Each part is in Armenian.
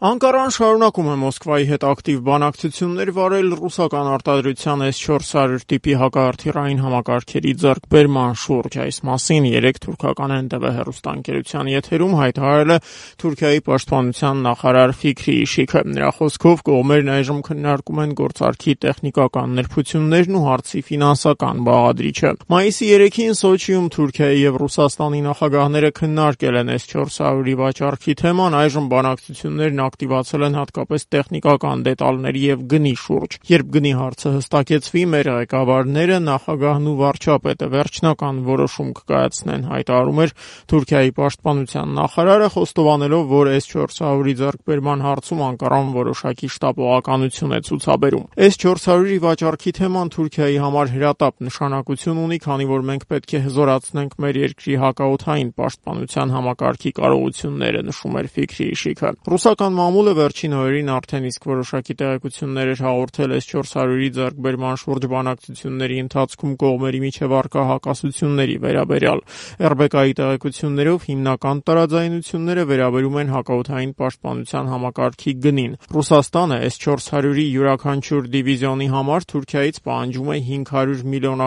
Անկարան շարունակում է Մոսկվայի հետ ակտիվ բանակցություններ վարել ռուսական արտադրության S-400 տիպի հակահրթիռային համակարգերի ձեռքբերման շուրջ։ Այս մասին երեկ թուրքական NTV հեռուստաընկերության եթերում հայտարարել է Թուրքիայի պաշտպանության նախարար Ֆիքրի Շիքը։ Նրա խոսքով կողմերն այժմ քննարկում են գործարքի տեխնիկական նրբություններն ու հարցի ֆինանսական բաղադրիչը։ Մայիսի 3-ին Սոչիում Թուրքիայի եւ Ռուսաստանի նախագահները քննարկել են S-400-ի վաճառքի թեման, այժմ բանակցություններն ակտիվացել են հատկապես տեխնիկական դետալների եւ գնի շուրջ։ Երբ գնի հարցը հստակեցվի, մեր ղեկավարները, նախագահն ու վարչապետը վերջնական որոշում կկայացնեն, հայտարարում էր Թուրքիայի պաշտպանության նախարարը, խոստովանելով, որ S-400-ի ձեռքբերման հարցում Անկարան որոշակի շտապողականություն է ցուցաբերում։ S-400-ի վաճառքի թեման Թուրքիայի համար հրատապ նշանակություն ունի, քանի որ մենք պետք է հզորացնենք մեր երկրի հակաօդային պաշտպանության համակարգի կարողությունները, նշում էր Ֆիքրի Շիքը։ Ռուսական մամուլը վերջին օրերին արդեն իսկ որոշակի տեղեկություններ էր հաղորդել S-400-ի ձեռքբերման շուրջ բանակցությունների ընթացքում կողմերի միջև առկա հակասությունների վերաբերյալ։ RBK-ի տեղեկություններով հիմնական տարաձայնությունները վերաբերում են հակաօդային պաշտպանության համակարգի գնին։ Ռուսաստանը S-400-ի յուրաքանչյուր դիվիզիոնի համար Թուրքիայից պահանջում է $500 միլիոն։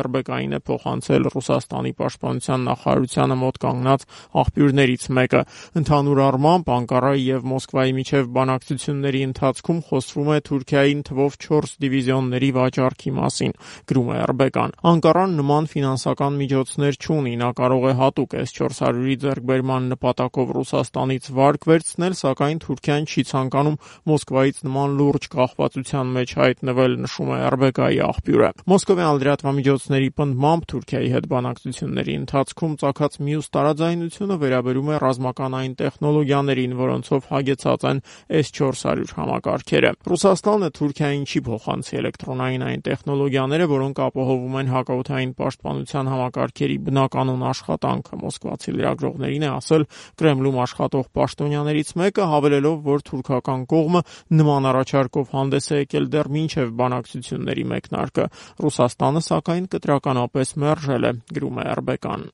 RBK-ին է փոխանցել Ռուսաստանի պաշտպանության նախարարությանը մոտ կանգնած աղբյուրներից մեկը։ Ընդհանուր առմամբ Անկարայի եւ Մոսկվայի միջև բանակցությունների ընթացքում խոսվում է Թուրքիային թվով 4 դիվիզիոնների վաճառքի մասին, գրում է RBK-ն։ Անկարան նման ֆինանսական միջոցներ չունի, նա կարող է հատուկ S-400-ի ձեռքբերման նպատակով Ռուսաստանից վարկ վերցնել, սակայն Թուրքիան չի ցանկանում Մոսկվայից նման լուրջ կախվածության մեջ հայտնվել, նշում է RBK-ի աղբյուրը։ Մոսկովյան լրատվամիջոցների պնդմամբ Թուրքիայի հետ բանակցությունների ընթացքում ծագած մյուս տարաձայնությունը վերաբերում է ռազմական այն տեխնոլոգիաներին, որոնցով հագեցած են S-400 համակարգերը։ Ռուսաստանը Թուրքիային չի փոխանցի էլեկտրոնային այն տեխնոլոգիաները, որոնք ապահովում են հակաօդային պաշտպանության համակարգերի բնականոն աշխատանքը, մոսկվացի լրագրողներին է ասել Կրեմլում աշխատող պաշտոնյաներից մեկը, հավելելով, որ թուրքական կողմը նման առաջարկով հանդես է եկել դեռ մինչև բանակցությունների մեկնարկը։ Ռուսաստանը, սակայն, կտրականապես մերժել է, գրում է RBK-ն։